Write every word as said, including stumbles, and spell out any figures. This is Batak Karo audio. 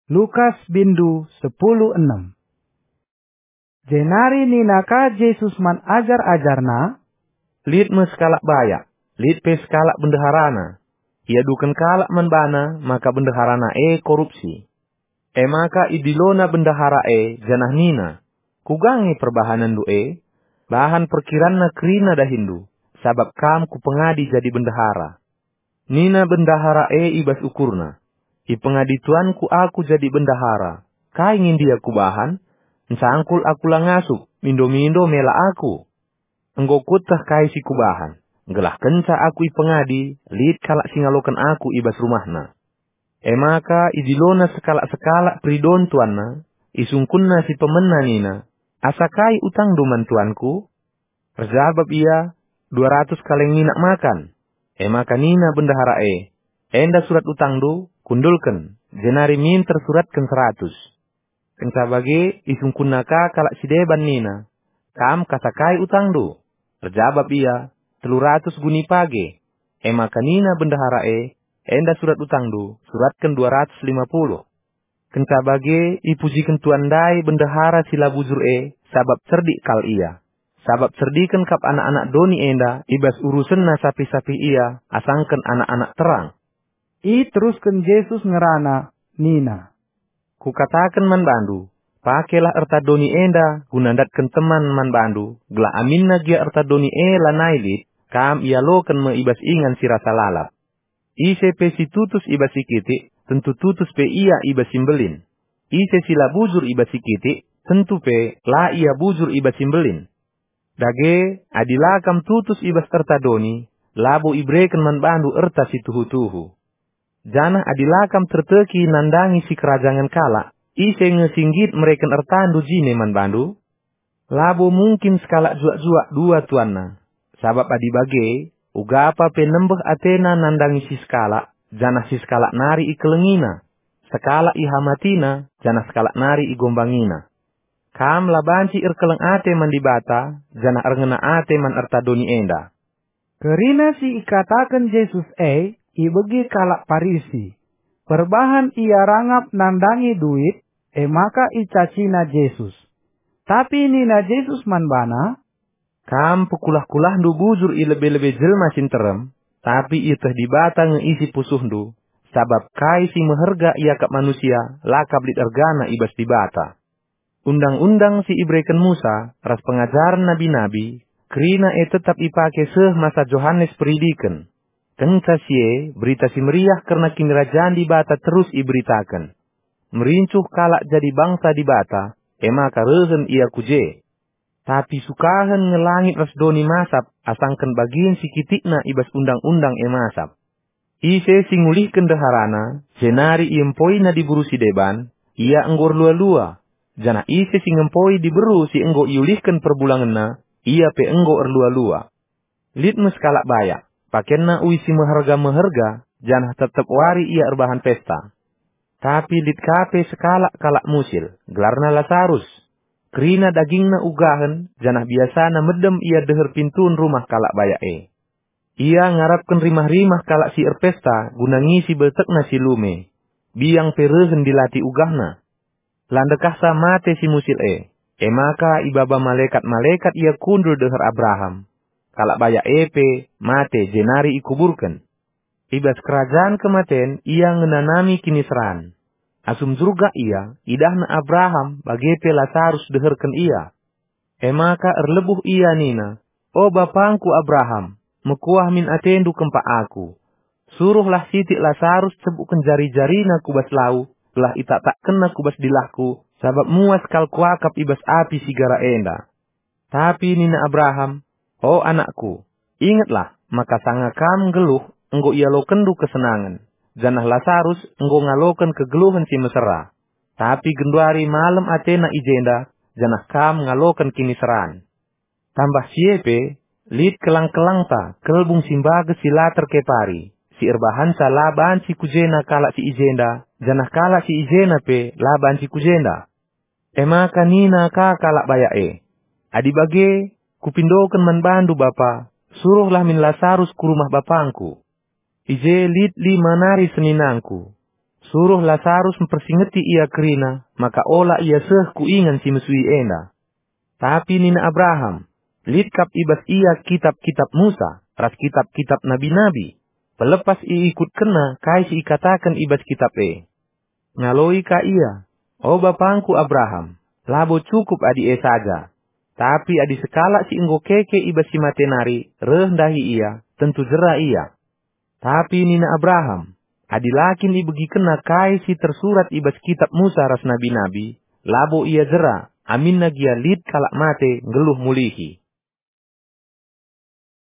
Lukas bindu sepuluh enem. Jenari nina ka Jesus man ajar-ajarNa, "Lit me sekalak bayak, lit pe sekalak bendeharana. Iaduken kalak man bana maka bendeharana e korupsi. E maka idilona bendahara e janah nina, 'Kuga nge perbahanenndu e? Bahan perkiranna kerina dahinndu, sabap kam kupengadi jadi bendahara.' Nina bendahara e i bas ukurna, 'Ipengadi tuanku aku jadi bendahara. Kai nge ndia kubahan? Ncangkul aku la ngasup, mindo-mindo mela aku. Enggo kueteh kai si kubahan, gelah kenca aku ipengadi, lit kalak si ngaloken aku i bas rumahna.' E maka idilona sekalak-sekalak peridon tuanna, isungkunna si pemena nina, 'Asa kai utangndu man tuanku?' Erjabap ia, 'Dua ratus kaleng minak makan.' E maka nina bendahara e, 'Enda surat utangndu, kundulken, jenari minter suratken seratus.' Kenca bage isungkunna ka kalak si deban nina, 'Kam kasa kai utangndu?' Erjabap ia, 'Telu ratus guni page.' E maka nina bendahara e, 'Enda surat utangndu, suratken dua ratus lima puluh.' Kenca bage ipujiken tuan ndai bendahara si la bujur e, sabap cerdik kal ia. Sabap cerdiken kap anak-anak doni enda i bas urusenna sapih-sapih ia asangken anak-anak terang." Iterusken Jesus ngerana nina, "Kukataken man bandu, pakelah erta doni enda guna ndatken teman man bandu, gelah aminna gia erta doni e lanai lit, kam ialoken me i bas ingan si rasa lalap. Ise pe si tutus i bas si kitik, tentu tutus pe ia i bas si mbelin. Ise si la bujur i bas si kitik, tentu pe la ia bujur i bas si mbelin. Dage, adi la kam tutus i bas erta doni, labo ibereken man bandu erta si tuhu-tuhu. Janah adi la kam terteki nandangi sikerajangen kalak, ise nge si nggit mereken ertandu jine man bandu? Labo mungkin sekalak juak-juak dua tuanna. Sabap adi bage, ugapa pe nembeh atena nandangi si sekalak, janah si sekalak nari ikelengina. Sekalak ihamatina, janah sekalak nari igombangina. Kam la banci erkeleng ate man Dibata, janah erngena ate man erta doni enda." Kerina si ikataken Jesus e ibegi kalak Parisi. Perbahan ia rangap nandangi duit, e maka icacina Jesus. Tapi nina Jesus man bana, "Kam pekulah-kulahndu bujur i lebe-lebe jelma si nterem, tapi ieteh Dibata nge isi pusuhndu, sabap kai si meherga iakap manusia la kap lit ergana i bas Dibata. Undang-undang si ibereken Musa ras pengajaren nabi-nabi, kerina e tetap ipake seh masa Johanes Peridiken. Kenca si e, Berita Si Meriah kerna Kinirajan Dibata terus iberitaken. Merincuh kalak jadi bangsa Dibata, e maka rehen ia ku je. Tapi sukahen nge langit ras doni masap asangken bagin si kitikna i bas undang-undang e masap. Ise si ngulihken ndeharana, jenari iempoina diberu si deban, ia enggo erlua-lua, janah ise si ngempoi diberu si enggo iulihken perbulangenna, ia pe enggo erlua-lua. Lit me sekalak bayak, pakenna uis si meherga-meherga, janah tep-tep wari ia erbahan pesta. Tapi lit ka pe sekalak kalak musil, gelarna Lasarus. Kerina dagingna ugahen, janah biasana medem ia deher pintun rumah kalak bayak e. Ia ngarapken rimah-rimah kalak si erpesta guna ngisi beltekna si lume. Biang pe rehen dilati ugahna. La ndekahsa mate si musil e, e maka ibaba malekat-malekat ia kundul deher Abraham. Kalak bayak e pe mate jenari ikuburken. I bas kerajan kematen ia ngenanami kiniseran. Asum njurgak ia, idahna Abraham bage pe Lasarus deherken ia. E maka erlebuh ia nina, 'O bapangku Abraham, mekuah min atendu kempak aku. Suruhlah sitik Lasarus cebukken jari-jarina ku bas lau, gelah itaktakkenna ku bas dilahku, sabap muas kal kuakap i bas api si gara enda. Tapi nina Abraham, O anakku, ingetlah maka sanga kam nggeluh enggo ialokenndu kesenangen, janah Lasarus enggo ngaloken kegeluhen si mesera. Tapi genduari malem atena i jenda, janah kam ngaloken kiniseran. Tambah si e pe, lit kelang-kelangta kelbung si mbages si la terkepari, si erbahanca la banci ku jena kalak si i jenda, janah kalak si i jena pe la banci ku jenda.' E maka nina ka kalak bayak e, 'Adi bage, kupindoken man bandu bapa, suruhlah min Lasarus ku rumah bapangku. I je lit lima nari seninangku. Suruh Lasarus mpersingeti ia kerina, maka ola ia seh ku ingan si mesui enda." Tapi nina Abraham, "Lit kap i bas ia kitap-kitap Musa ras kitap-kitap nabi-nabi. Pelepas iikutkenna kai si ikataken i bas kitap e." Ngaloi ka ia, "O bapangku Abraham, labo cukup adi e saja. Tapi adi sekalak si enggo keke i bas si mate nari reh ndahi ia, tentu jera ia." Tapi nina Abraham, "Adi la kin ibegikenna kai si tersurat i bas kitap Musa ras nabi-nabi, labo ia jera, aminna gia lit kalak mate nggeluh mulihi."